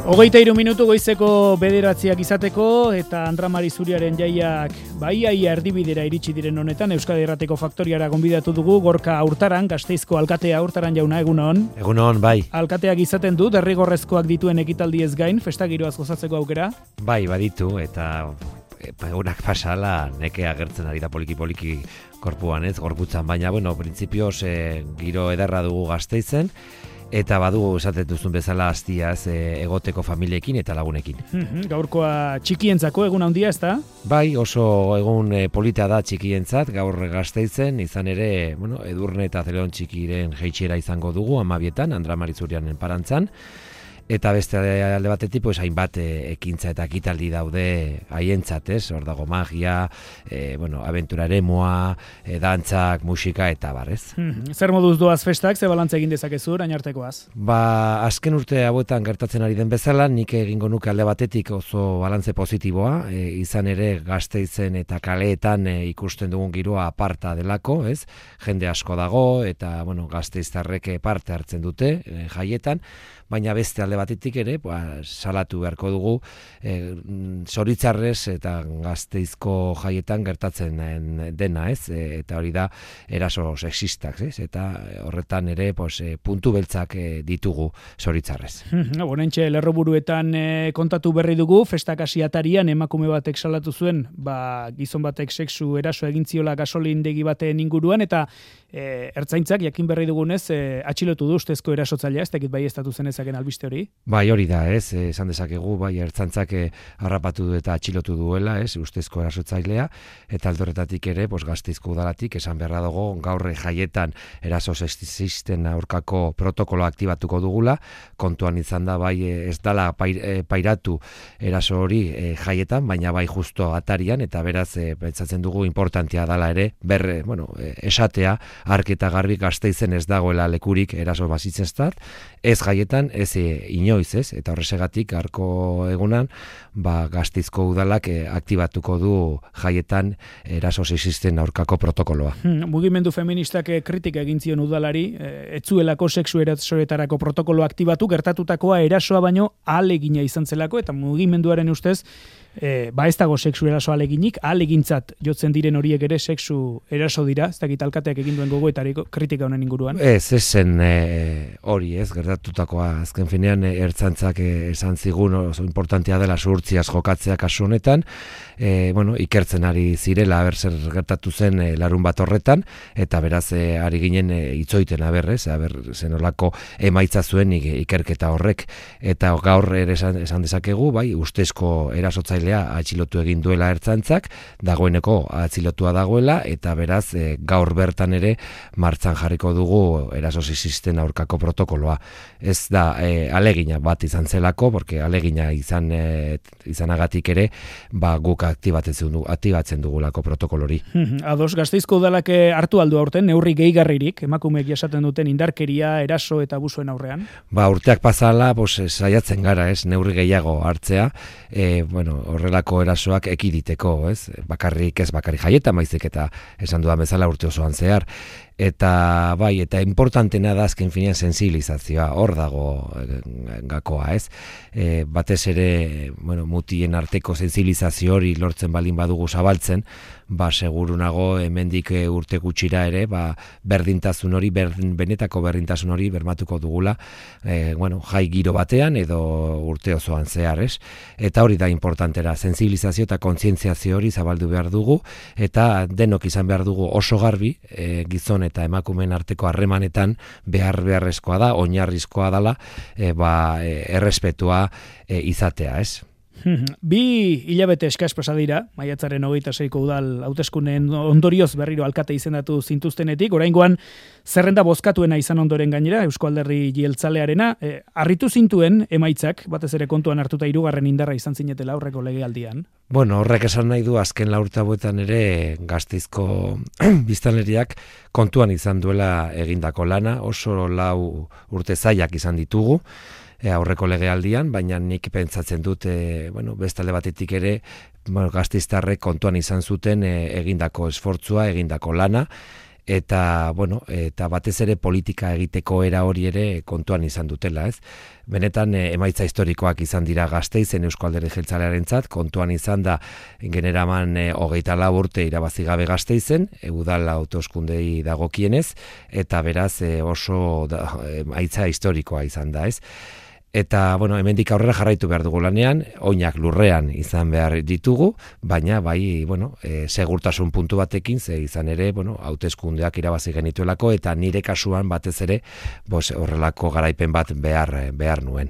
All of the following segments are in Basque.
23 minutu goizeko 9 izateko eta Andra Mari Zuriaren jaiak iaia erdibidera iritsi diren honetan Euskadi Irratiko Faktoriara gonbidatu dugu Gorka Hurtaran, Gasteizko alkatea. Hurtaran jauna, egunon. Egunon, bai. Alkateak izaten du derrigorrezkoak dituen ekitaldiez gain festa giroaz gozatzeko aukera. Bai, baditu eta egunak pasala neke agertzen ari da poliki korpuan, ez, gorputzan, baina printzipioz giro ederra dugu Gasteizen. Eta badugu esaten duzun bezala hastiaz egoteko familiekin eta lagunekin. Gaurkoa txikientzako egun handia, ezta? Bai, oso egun polita da txikientzat, gaur Gasteizen, izan ere, Edurne eta Zeleon txikiren jeitsiera izango dugu, 12etan, Andra Mari Zuriaren parantzan. Eta beste alde batetik, hainbat ekintza eta ekitaldi daude haientzat, ez? Hor dago magia, abentura eremoa, dantzak, musika eta bar, ez? Zer moduz doaz festak, ze balantza egin dezakezu orain artekoaz? Azken urte hauetan gertatzen ari den bezala, nik egingo nuke alde batetik oso balantze positiboa, izan ere Gasteizen eta kaleetan ikusten dugun giroa aparta delako, ez? Jende asko dago eta, gasteiztarrek parte hartzen dute jaietan, baina beste alde batetik ere, salatu beharko dugu zoritzarrez eta Gasteizko jaietan gertatzen dena, ez? Eta hori da eraso sexistak, ez? Eta horretan ere puntu beltzak ditugu zoritzarrez. Bonentxe lerroburuetan kontatu berri dugu, festak hasi atarian emakume batek salatu zuen, gizon batek sexu eraso egin ziola gasolindegi baten inguruan, eta ertzaintzak jakin berri dugunez atxilotu du ustezko erasotzailea, ez dakit baieztatu zenezaken albiste hori? Bai, hori da, ez, esan dezakegu, ertzaintzak harrapatu du eta atxilotu duela, ez, ustezko erasotzailea, eta aldorretatik ere, Gasteizko udalatik, esan beharra dago, gaur jaietan eraso sexisten aurkako protokoloa aktibatuko dugula, kontuan izan da, ez dala pairatu eraso hori jaietan, baina bai justo atarian, eta beraz, pentsatzen dugu importantia dala ere, esatea, ark eta garbi Gasteizen ez dagoela lekurik eraso basitzestat, ez jaietan, ez inoiz, ez? Eta horresegatik arko egunan, Gasteizko udalak aktibatuko du jaietan eraso sexisten aurkako protokoloa. Mugimendu feministak kritika egin zion udalari, etzuelako sexu erasoetarako protokolo aktibatu, gertatutakoa erasoa baino ahalegina izan zelako, eta mugimenduaren ustez, ez dago sexu eraso ahaleginik, ahalegintzat jotzen diren horiek ere sexu eraso dira, ez dakit alkateak egin duen gogoetariko kritika honen inguruan. Ez zen hori, ez, gertatutakoa, azken finean ertzantzak esan zigun oso importantea dela zuhurtziaz jokatzea kasu honetan, ikertzen ari zirela, zer gertatu zen larun bat horretan, eta beraz ari ginen itzoiten zenolako emaitza zuen ikerketa horrek, eta gaur ere esan dezakegu, ustezko erasotzailea atxilotu egin duela ertzantzak, dagoeneko atxilotua dagoela, eta beraz gaur bertan ere martxan jarriko dugu eraso sexisten aurkako protokoloa. Ez da alegina bat izan zelako, porque alegina izanagatik ere, guk aktibatzen dugulako protokolori. Ados, Gasteizko udalak hartu aldu aurten, neurri gehigarririk, emakumeek jasaten duten indarkeria, eraso eta abusuen aurrean? Urteak pasala, saiatzen gara, ez, neurri gehiago hartzea, horrelako erasoak ekiditeko, ez, bakarrik jaietan baizik eta esan dudan bezala urte osoan zehar. Eta importantena da azken finean sensibilizazioa, hor dago gakoa, ez? Batez ere, mutien arteko sensibilizazio hori lortzen balin badugu zabaltzen, seguru nago hemendik urte gutxira ere, berdintasun hori, benetako berdintasun hori bermatuko dugula, jai giro batean edo urte osoan zehar, ez? Eta hori da importantera, sensibilizazio eta kontzientziazio hori zabaldu behar dugu, eta denok izan behar dugu oso garbi, gizon eta emakumeen arteko harremanetan beharrezkoa da, oinarrizkoa dela, errespetua izatea, ez? 2 hilabete eskas pasa dira, maiatzaren 26ko udal hauteskundeen ondorioz berriro alkate izendatu zintuztenetik, oraingoan zerrenda bozkatuena izan ondoren gainera, Eusko Alderdi Jeltzalearena, harritu zintuen emaitzak, batez ere kontuan hartuta 3. indarra izan zinetela aurreko legealdian. Horrek esan nahi du azken 4 urte hauetan ere Gasteizko biztanleriak kontuan izan duela egindako lana, oso 4 urte zailak izan ditugu, aurreko legealdian, baina nik pentsatzen dut, bestalde batetik ere, Gasteiztarrek kontuan izan zuten egindako esfortzua, egindako lana, eta batez ere politika egiteko era hori ere kontuan izan dutela, ez? Benetan emaitza historikoak izan dira Gasteizen Eusko Alderdi Jeltzalearentzat, kontuan izan da generaman 24 urte irabazi gabe Gasteizen, udal hauteskundei dagokienez, eta beraz oso emaitza historikoa izan da, ez? Eta, hemendik aurrera jarraitu behar dugu lanean, oinak lurrean izan behar ditugu, baina, segurtasun puntu batekin, ze izan ere, hauteskundeak irabazi genituelako, eta nire kasuan batez ere, horrelako garaipen bat behar nuen.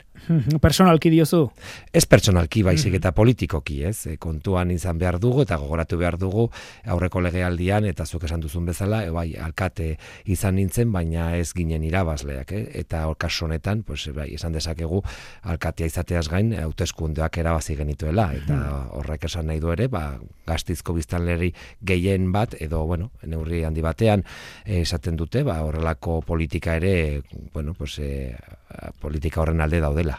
Personalki diozu? Ez personalki, baizik eta politikoki, ez? Kontuan izan behar dugu, eta gogoratu behar dugu, aurreko legealdian, eta zuk esan duzun bezala, alkate izan nintzen, baina ez ginen irabazleak, eta kasu honetan, esan dezakegu, alkatea izateaz gain, hauteskundeak erabazi genituela, eta horrek esan nahi du ere, Gasteizko biztanleri gehien bat, edo, neurri handi batean, esaten dute, horrelako politika ere, politika horren alde daudela.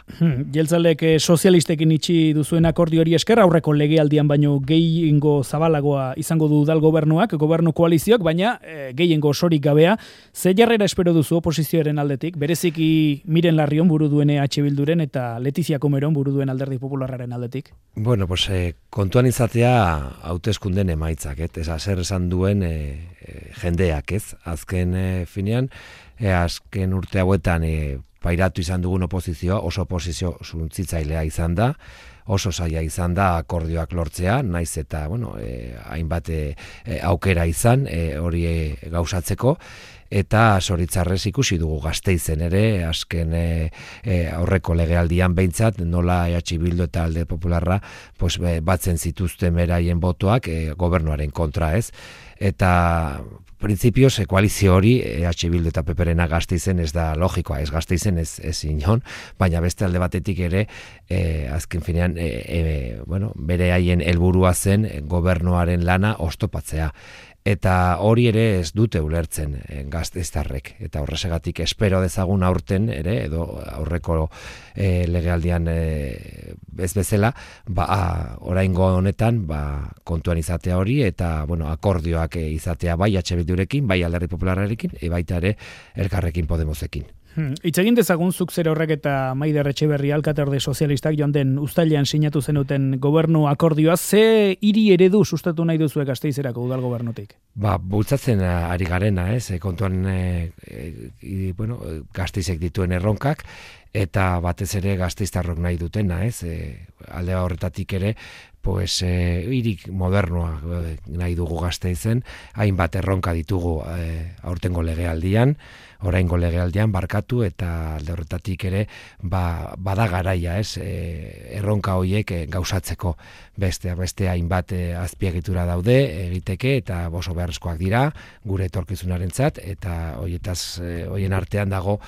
Jeltzalek sozialistekin itxi duzuen akordio hori esker, aurreko legealdian baino gehiengo zabalagoa izango du udal gobernuak, gobernu koalizioak, baina gehiengo osorik gabea. Ze jarrera espero duzu oposizioaren aldetik? Bereziki Miren Larrion buru duen EH Bilduren eta Letizia Comeron buru duen Alderdi Popularraren aldetik? Kontuan izatea hauteskunden emaitzak, zer esan duen jendeak, ez? Azken finean, azken urte hauetan pairatu izan dugun oposizioa, oso oposizio suntzitzailea izan da, oso zaila izan da akordioak lortzea, naiz eta, hainbat aukera izan hori gauzatzeko, eta zoritzarrez ikusi dugu Gasteizen ere, azken aurreko legealdian behintzat, nola EH Bildu eta Alde Popularra batzen zituzten beraien botoak gobernuaren kontra, ez? Eta printzipioz, koalizio hori, EH Bildu eta PPrena Gasteizen ez da logikoa, ez Gasteizen ez inon, baina beste alde batetik ere, azken finean, bere haien helburua zen gobernuaren lana oztopatzea. Eta hori ere ez dute ulertzen gasteiztarrek. Eta horresegatik espero dezagun aurten ere, edo aurreko legealdian ez bezala, oraingo honetan kontuan izatea hori, eta akordioak izatea bai EH Bildurekin, bai Alderdi Popularrarekin, baita ere Elkarrekin Podemosekin. Hitz egin dezagun zuk zer horrek eta Maider Etxeberri alkaterde sozialistak joan den uztailean sinatu zenuten gobernu akordioa, ze hiri eredu sustatu nahi duzuek Gasteizerako udal gobernutik? Bultzatzen ari garena, kontuan Gasteizek dituen erronkak, eta batez ere gasteiztarrok nahi dutena, alde horretatik ere, hirik modernoa nahi dugu Gasteizen, hainbat erronka ditugu aurtengo legealdian, oraingo legealdian barkatu, eta alde horretatik ere bada garaia, erronka horiek gauzatzeko. Beste hainbat azpiegitura daude egiteke, eta oso beharrezkoak dira gure etorkizunarentzat, eta horien artean dago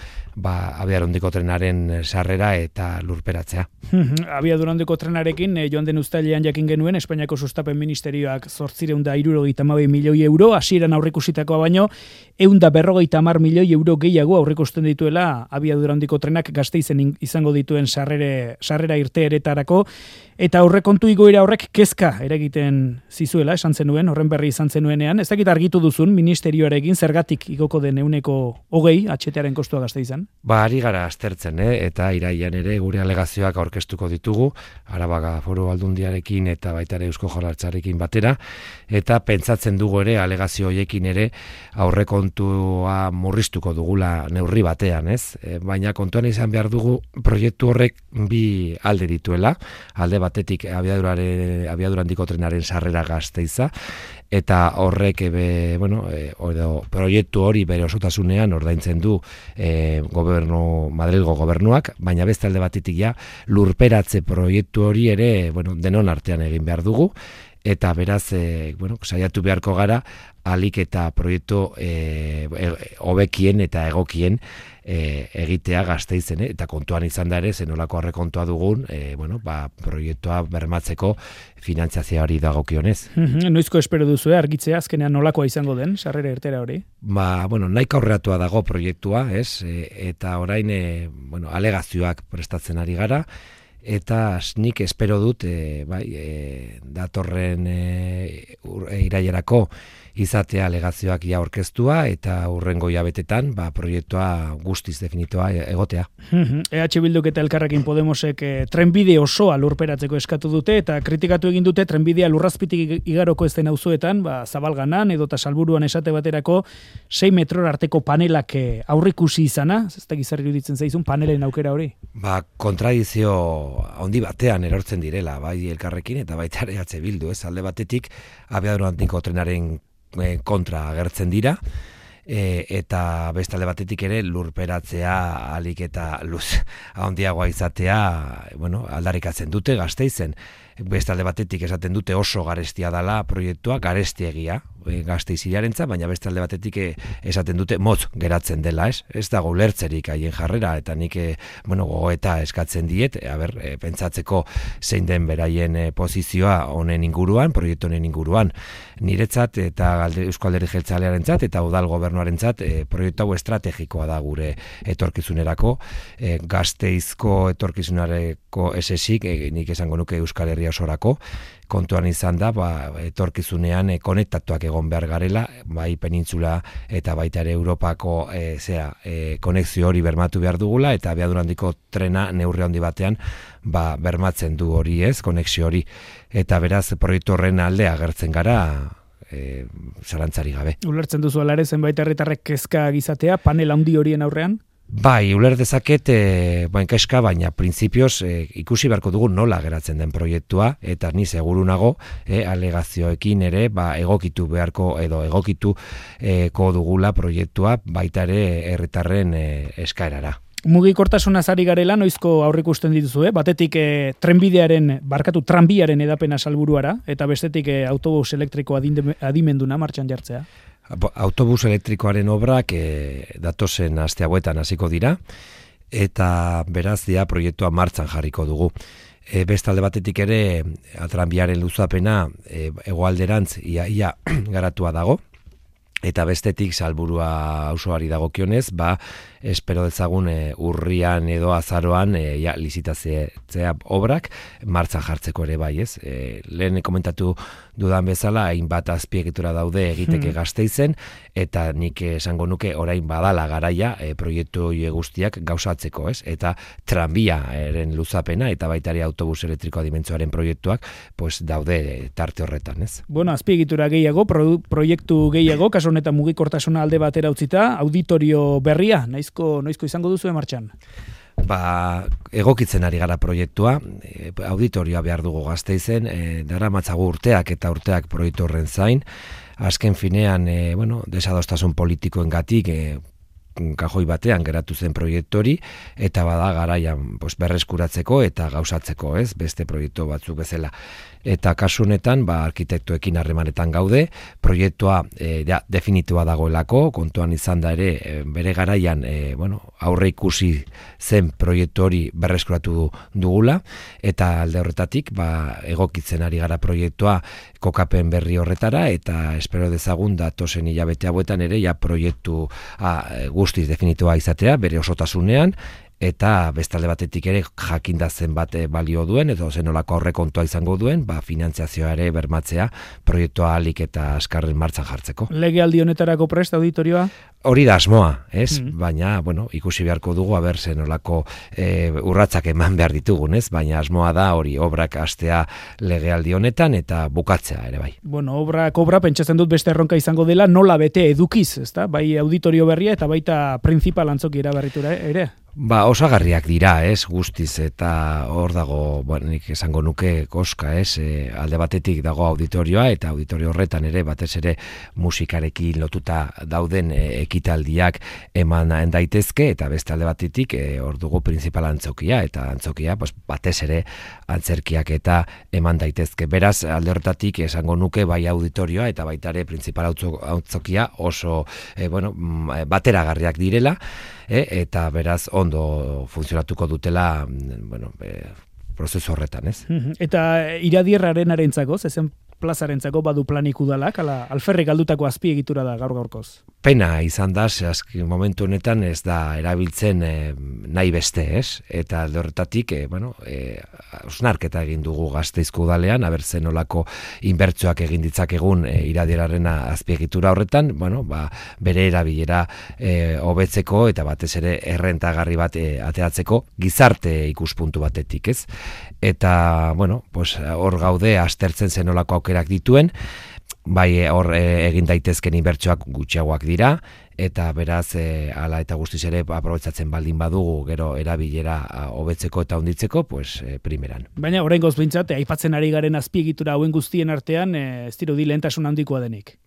abiadurandiko trenaren sarrera eta lurperatzea. Abiadurandiko trenarekin joan den uztailean jakin genuen Espainiako Sustapen Ministerioak 872 milioi euro, hasieran aurreikusitakoa baino 150 milioi euro gehiago aurreikusten dituela abiadurandiko trenak Gasteizen izango dituen sarrera irteeretarako, eta aurrekontu igoera horrek kezka eragiten zizuela, esan zenuen, horren berri izan zenuenean. Ez dakit argitu duzun ministerioarekin zergatik igoko den 120 HTaren kostua Gasteizen? Ari gara aztertzen, eta iraian ere gure alegazioak aurkeztuko ditugu, Araba Foru Aldundiarekin eta baita ere Eusko Jaurlaritzarekin batera, eta pentsatzen dugu ere alegazio horiekin ere aurrekontua murriztuko dugula neurri batean, baina kontuan izan behar dugu proiektu horrek bi alde dituela, alde batetik abiadurandiko trenaren sarrera Gasteiza, eta horrek proiektu hori bere osotasunean ordaintzen du Madrilgo gobernuak, baina beste alde batetik lurperatze proiektu hori ere denon artean egin behar dugu, eta beraz saiatu beharko gara alik eta proiektu hobekien eta egokien egitea Gasteizen, eta kontuan izan da ere zenolako aurrekontua dugun proiektua bermatzeko finantzazioari dagokionez. Noizko espero duzu argitzea azkenean nolakoa izango den sarrera irtera hori? Nahiko aurreratua dago proiektua, eta orain alegazioak prestatzen ari gara, eta nik espero dut datorren irailerako izatea alegazioak ia aurkeztua eta hurrengo hilabetetan proiektua guztiz definitua egotea. EH Bilduk eta Elkarrekin Podemosek trenbide osoa lurperatzeko eskatu dute eta kritikatu egin dute trenbidea lurrazpitik igaroko ez den auzoetan, Zabalganan edota Salburuan esate baterako 6 metror arteko panelak aurrikusi izana, ez da gizarri iruditzen zaizun panelen aukera hori? Kontradizio handi batean erortzen direla, bai Elkarrekin eta baita ere EH Bildu, ez alde batetik abiadura handiko trenaren kontra agertzen dira, eta bestalde batetik ere lurperatzea alik eta luz handiagoa izatea aldarrikatzen dute Gasteizen. Bestalde batetik esaten dute oso garestia dela proiektua, garestiegia Gasteizirarentzat, baina bestalde batetik esaten dute motz geratzen dela, ez? Ez dago ulertzerik haien jarrera, eta nik gogoeta eskatzen diet, pentsatzeko zein den beraien posizioa honen inguruan, proiektu honen inguruan. Niretzat eta Eusko Alderdi Jeltzalearentzat eta udal gobernuarentzat proiektu hau estrategikoa da gure etorkizunerako, Gasteizko etorkizunareko esesik, nik esango nuke Euskal Herria osorako, kontuan izan da, etorkizunean konektatuak egon behar garela, bai penintzula eta baita ere Europako konexio hori bermatu behar dugula, eta abiadura handiko trena neurri handi batean bermatzen du hori ez, konexio hori. Eta beraz, proiektu horren alde agertzen gara, zalantzari gabe. Ulertzen duzu alare zenbait herritarrek kezka gizatea, panel handi horien aurrean? Bai, uler dezaket kezka, baina printzipioz ikusi beharko dugu nola geratzen den proiektua, eta ni seguru nago alegazioekin ere egokitu beharko edo egokituko dugula proiektua baita ere herritarren eskaerara. Mugikortasunaz ari garela, noizko aurrikusten dituzu, batetik tranbiaren edapena Salburuara, eta bestetik autobus elektriko adimenduna martxan jartzea. Autobus elektrikoaren obrak datozen aste hauetan hasiko dira, eta beraz proiektua martxan jarriko dugu. Bestalde batetik ere, tranbiaren luzapena hegoalderantz ia garatua dago, eta bestetik Salburua auzoari dagokionez, espero dezagun urrian edo azaroan lizitatzea obrak martxan jartzeko ere bai, ez? Lehen komentatu dudan bezala, hainbat azpiegitura daude egiteke Gasteizen, eta nik esango nuke orain badala garaia proiektu guztiak gauzatzeko, ez? Eta tranbiaren luzapena eta baita ere autobus elektrikoa dimentsioaren proiektuak daude tarte horretan, ez? Bueno, azpiegitura gehiago, proiektu gehiago, kasu honetan mugikortasuna alde batera utzita, auditorio berria, noizko izango duzu martxan? Egokitzen ari gara proiektua, auditorioa behar dugu Gasteizen, daramatzagu urteak eta urteak proiektu horren zain, azken finean, desadostasun politikoengatik, kajoi batean geratu zen proiektu hori, eta bada garaian berreskuratzeko eta gauzatzeko, ez, beste proiektu batzuk bezala. Eta kasu honetan, arkitektoekin harremanetan gaude, proiektua definitua dagoelako, kontuan izan da ere, bere garaian aurre ikusi zen proiektu hori berreskuratu dugula, eta alde horretatik egokitzen ari gara proiektua kokapen berri horretara, eta espero dezagun datozen hilabete hauetan ere proiektu guztiz definitua izatea, bere osotasunean, eta bestalde batetik ere jakinda zenbat balio duen, edo zenolako aurrekontua izango duen, finantziazioa ere bermatzea proiektua ahalik eta askarren martxan jartzeko. Legealdi honetarako prest auditorioa? Hori da asmoa, ez? Baina, ikusi beharko dugu, zenolako urratsak eman behar ditugun, ez? Baina asmoa da hori obrak hastea legealdi honetan eta bukatzea ere bai. Obra pentsatzen dut beste erronka izango dela, nola bete edukiz, ezta? Bai auditorio berria eta baita printzipal antzoki eraberritura ere? Osagarriak dira, ez, guztiz, eta hor dago, nik esango nuke koska, ez, alde batetik dago auditorioa, eta auditorio horretan ere, batez ere musikarekin lotuta dauden ekitaldiak eman daitezke, eta beste alde batetik hor dugu printzipal antzokia, eta antzokia, batez ere antzerkiak eta eman daitezke. Beraz, alde horretatik esango nuke bai auditorioa, eta baita ere printzipal antzokia oso, bateragarriak direla, eta beraz ondo funtzionatuko dutela prozesu horretan, ez? Eta iradierraren arentzako, zezen plazarentzako badu planik udalak, alferrik galdutako azpiegitura da gaur-gaurkoz. Pena izan da, momentu honetan ez da erabiltzen nahi beste, ez? Eta alde horretatik, osnarketa egin dugu Gasteizko udalean, zen nolako inbertsioak egin ditzakegun iradieraren azpiegitura horretan, bere erabilera hobetzeko eta batez ere errentagarri bat ateratzeko gizarte ikuspuntu batetik, ez? Eta, hor gaude aztertzen zen nolako aukerak dituen, bai hor egin daitezken inbertsioak gutxiagoak dira, eta beraz hala eta guztiz ere aprobetxatzen baldin badugu gero erabilera hobetzeko eta handitzeko, primeran. Baina oraingoz behintzat, aipatzen ari garen azpiegitura hauen guztien artean, ez dirudi lehentasun handikoa denik.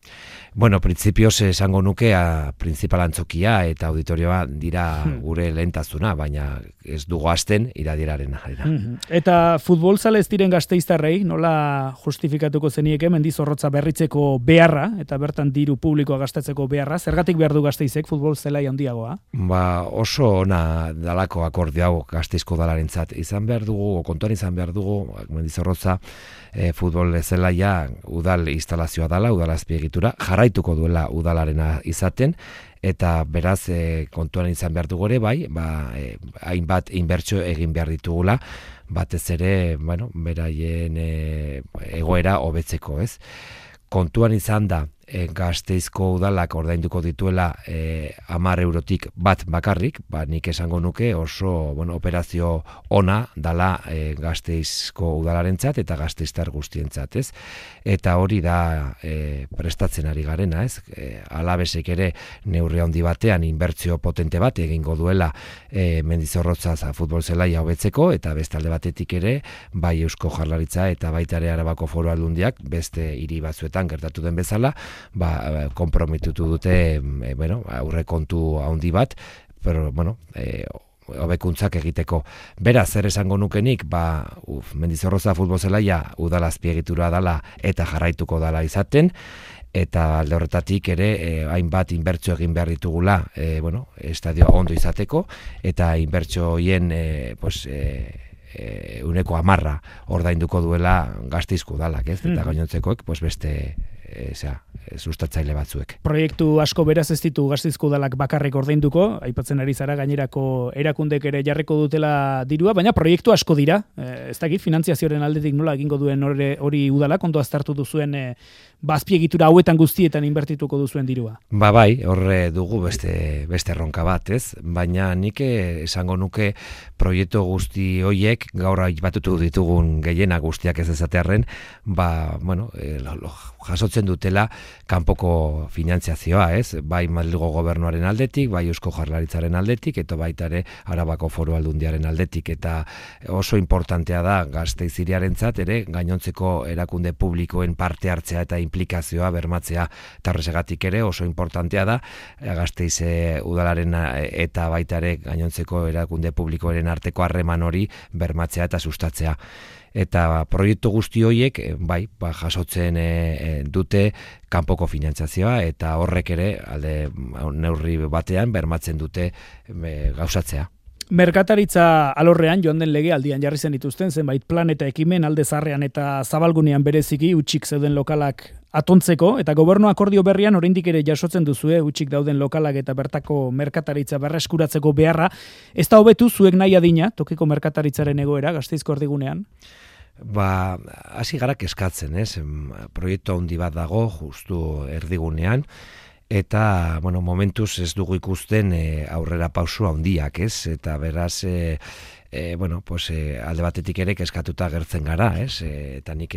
Printzipioz esango nuke printzipal antzokia eta auditorioa dira gure lehentasuna, baina ez dugu hasten iradierarena. Eta futbolzale ez diren gasteiztarrei, nola justifikatuko zenieke Mendizorrotza berritzeko beharra, eta bertan diru publikoa gastatzeko beharra, zergatik behar du Gasteizek futbol zelai handiagoa? Oso ona dalako akordio hau Gasteizko udalarentzat. Kontuan izan behar dugu, Mendizorrotza futbol zelaia udal instalazioa dela, udal azpiegitura, jarraituko duela udalarena izaten, eta beraz kontuan izan behar dugu ere, hainbat inbertsio egin behar ditugula, batez ere, beraien egoera hobetzeko, ez? Kontuan izan da, Gasteizko udalak ordainduko dituela 10 eurotik bat bakarrik, nik esango nuke oso operazio ona dala Gasteizko udalarentzat eta gasteiztar guztientzat, ez? Eta hori da prestatzen ari garena, ez? Alabesek ere neurri handi batean inbertsio potente bat egingo duela Mendizorrotza futbol zelaia hobetzeko, eta beste alde batetik ere bai Eusko Jaurlaritza eta baita ere Arabako Foru Aldundiak beste hiri batzuetan gertatu den bezala konprometitu dute aurrekontu handi bat, hobekuntzak egiteko. Beraz, zer esango nukenik, Mendizorrotza futbol zelaia udal azpiegitura dala eta jarraituko dala izaten, eta alde horretatik ere hainbat inbertsio egin behar ditugula estadioa ondo izateko, eta inbertsio hien uneko 10 ordainduko duela Gasteizko udalak, ez? Eta gainontzekoek beste sustatzaile batzuek. Proiektu asko beraz ez ditu Gasteizko udalak bakarrik ordainduko, aipatzen ari zara gainerako erakundek ere jarriko dutela dirua, baina proiektu asko dira. Ez dakit finantziazioaren aldetik nola egingo duen hori udalak, ondo aztertu duzuen azpiegitura hauetan guztietan inbertituko duzuen dirua. Bai, horre dugu beste erronka bat, ez? Baina nik esango nuke proiektu guzti hoiek gaur aipatutu ditugun gehiena guztiak ez ezatearren, jasotzen dutela kanpoko finantziazioa, ez? Bai Madrilgo gobernuaren aldetik, bai Eusko Jaurlaritzaren aldetik, eta baita ere Arabako Foru Aldundiaren aldetik, eta oso importantea da Gasteiz hiriarentzat ere gainontzeko erakunde publikoen parte hartzea eta implikazioa bermatzea, eta horregatik ere oso importantea da Gasteiz udalaren eta baita ere gainontzeko erakunde publikoaren arteko harreman hori bermatzea eta sustatzea. Eta proiektu guzti horiek jasotzen dute kanpoko finantzazioa, eta horrek ere alde neurri batean bermatzen dute gauzatzea. Merkataritza alorrean joan den lege aldian jarri zen dituzten zenbait plan eta ekimen alde zaharrean eta zabalgunean bereziki hutsik zeuden lokalak atontzeko, eta gobernu akordio berrian oraindik ere jasotzen duzue hutsik dauden lokalak eta bertako merkataritza berreskuratzeko beharra. Ez da hobetu zuek nahi adina tokiko merkataritzaren egoera Gasteizko erdigunean? Hasi gara kezkatzen, ez? Proiektu handi bat dago justu erdigunean, eta momentuz ez dugu ikusten aurrera pausu handiak, ez? Eta beraz alde batetik ere kezkatuta gertzen gara, ez? Eta nik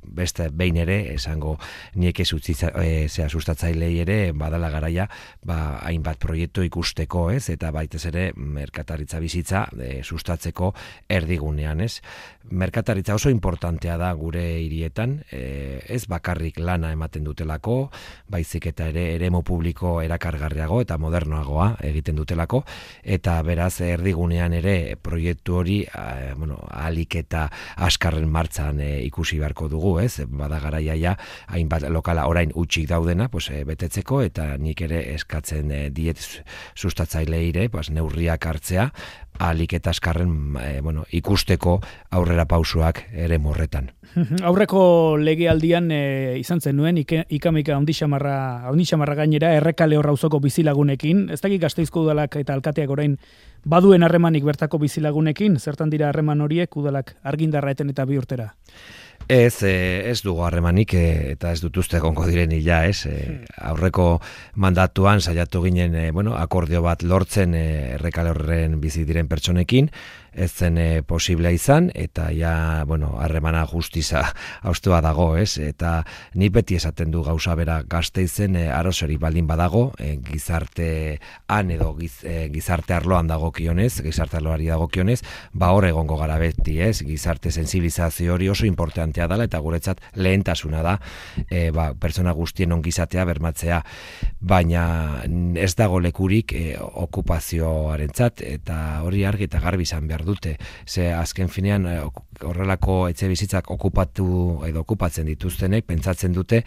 beste behin ere esango niek sustatzailei ere badala garaia hainbat proiektu ikusteko, ez? Eta baitez ere merkataritza bizitza sustatzeko erdigunean, ez? Merkataritza oso importantea da gure hirietan, ez bakarrik lana ematen dutelako, baizik eta ere eremu publiko erakargarriago eta modernoagoa egiten dutelako, eta beraz erdigunean ere proiektu hori ahalik eta askarren martzan ikusi beharko dugu, ez? Bada garaia hainbat lokala orain hutsik daudena betetzeko, eta nik ere eskatzen diet sustatzaileire neurriak hartzea ahalik eta askarren ikusteko aurrera pausoak ere morretan. Aurreko legealdian izan zenuen ikamika ondixamarra gainera Errekale Horra auzoko bizilagunekin, ez dakik Gasteizko udalak eta alkateak orain baduen harremanik bertako bizilagunekin, zertan dira harreman horiek udalak argindarra eten eta 2 urtera? Ez dugu harremanik eta ez dut uste egongo diren hila, aurreko mandatuan saiatu ginen akordio bat lortzen Errekale Horren bizi diren pertsonekin, ez zen posiblea izan, eta harremana justiza haustua dago, eta ni beti esaten du gauza bera Gasteizen arozori baldin badago, gizartean edo gizarte arloan dagokionez, gizarte arloari dagokionez, hor egongo gara beti, gizarte sensibilizazio hori oso importantea dela, eta guretzat lehentasuna da, pertsona guztien ongizatea bermatzea, baina ez dago lekurik okupazioarentzat, eta hori argi eta garbi izan behar dute. Ze azken finean horrelako etxe bizitzak okupatzen dituztenek pentsatzen dute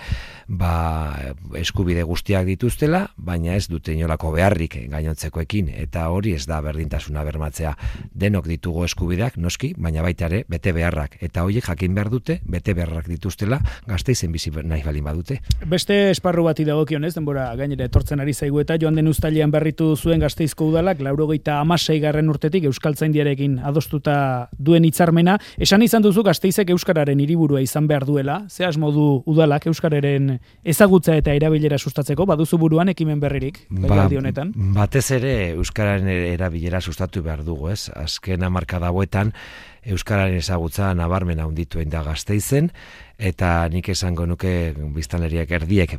eskubide guztiak dituztela, baina ez dute inolako beharrik gainontzekoekin, eta hori ez da berdintasuna bermatzea. Denok ditugu eskubideak, noski, baina baita ere bete beharrak, eta horiek jakin behar dute bete beharrak dituztela Gasteizen bizi nahi balin badute. Beste esparru bati dagokionez, denbora gainera etortzen ari zaigu, eta joan den uztailean berritu zuen Gasteizko udalak 96. urtetik Euskaltzaindiarekin adostuta duen hitzarmena. Esan izan duzu Gasteizek euskararen hiriburua izan behar duela, ze asmo du udalak euskararen ezagutza eta erabilera sustatzeko, baduzu buruan ekimen berririk legealdi honetan? Batez ere euskararen erabilera sustatu behar dugu, azken hamarkada hauetan euskararen ezagutza nabarmena handitu da Gasteizen, eta nik esango nuke biztanleriak erdiek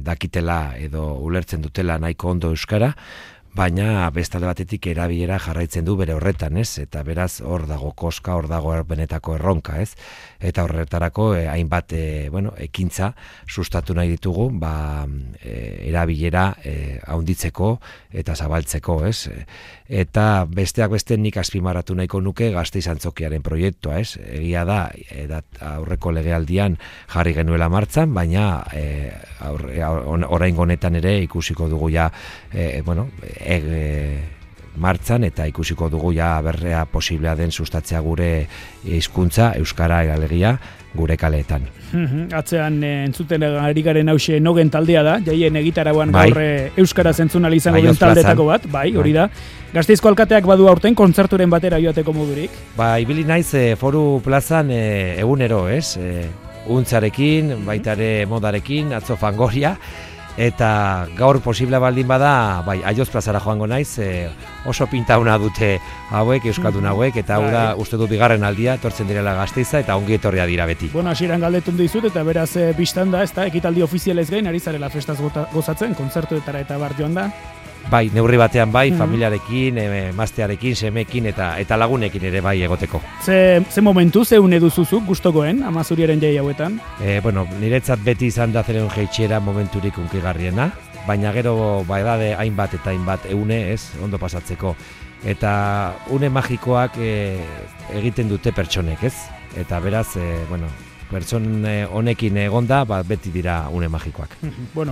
dakitela edo ulertzen dutela nahiko ondo euskara, baina bestalde batetik erabilera jarraitzen du bere horretan, eta beraz hor dago koska, hor dago benetako erronka, eta horretarako hainbat ekintza sustatu nahi ditugu, erabilera handitzeko eta zabaltzeko, eta besteak beste nik azpimarratu nahiko nuke Gasteiz Antzokiaren proiektua, egia da aurreko legealdian jarri genuela martzan, baina oraingo honetan ere ikusiko dugu ja martzan, eta ikusiko dugu ja berrea posiblea den sustatzea gure hizkuntza euskara alegia gure kaleetan. Atzean entzuten ari garen hause Nogen taldea da, jaien egitarauan gaur euskara zentzunal izango den taldetako bat, hori da. Gasteizko alkateak badu aurten kontzerturen batera joateko modurik? Ibili naiz Foru Plazan egunero, untzarekin, baita ere modarekin, atzo Fangoria, eta gaur posible baldin bada, Aioz plazara joango naiz, oso pintauna dute hauek, euskaldun hauek, eta hau da, uste du bigarren aldia, etortzen direla Gasteiza, eta ongi etorria dira beti. Hasieran galdetun dizut, eta beraz biztan da, ekitaldi ofizialez gain, ari zarela festaz gozatzen, kontzertuetara eta bar joan da? Neurri batean familiarekin, emaztearekin, semekin eta lagunekin ere egoteko. Ze momentu, ze une duzuzuk gustokoen, Amazuriaren jai hauetan? Niretzat beti izan da zeren jeitxera momenturik unkigarriena, baina gero edade hainbat eta hainbat une, ondo pasatzeko. Eta une magikoak egiten dute pertsonek, Eta beraz, pertson honekin egonda, beti dira une magikoak.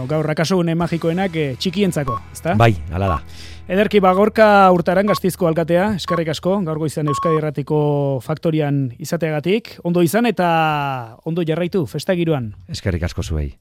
Gaur akaso une magikoenak txikientzako, ezta? Bai, hala da. Ederki, Gorka Urtaran Gasteizko alkatea, eskerrik asko, gaur goizan Euskadi Irratiko faktorian izateagatik. Ondo izan eta ondo jarraitu, festa giroan. Eskerrik asko zuei.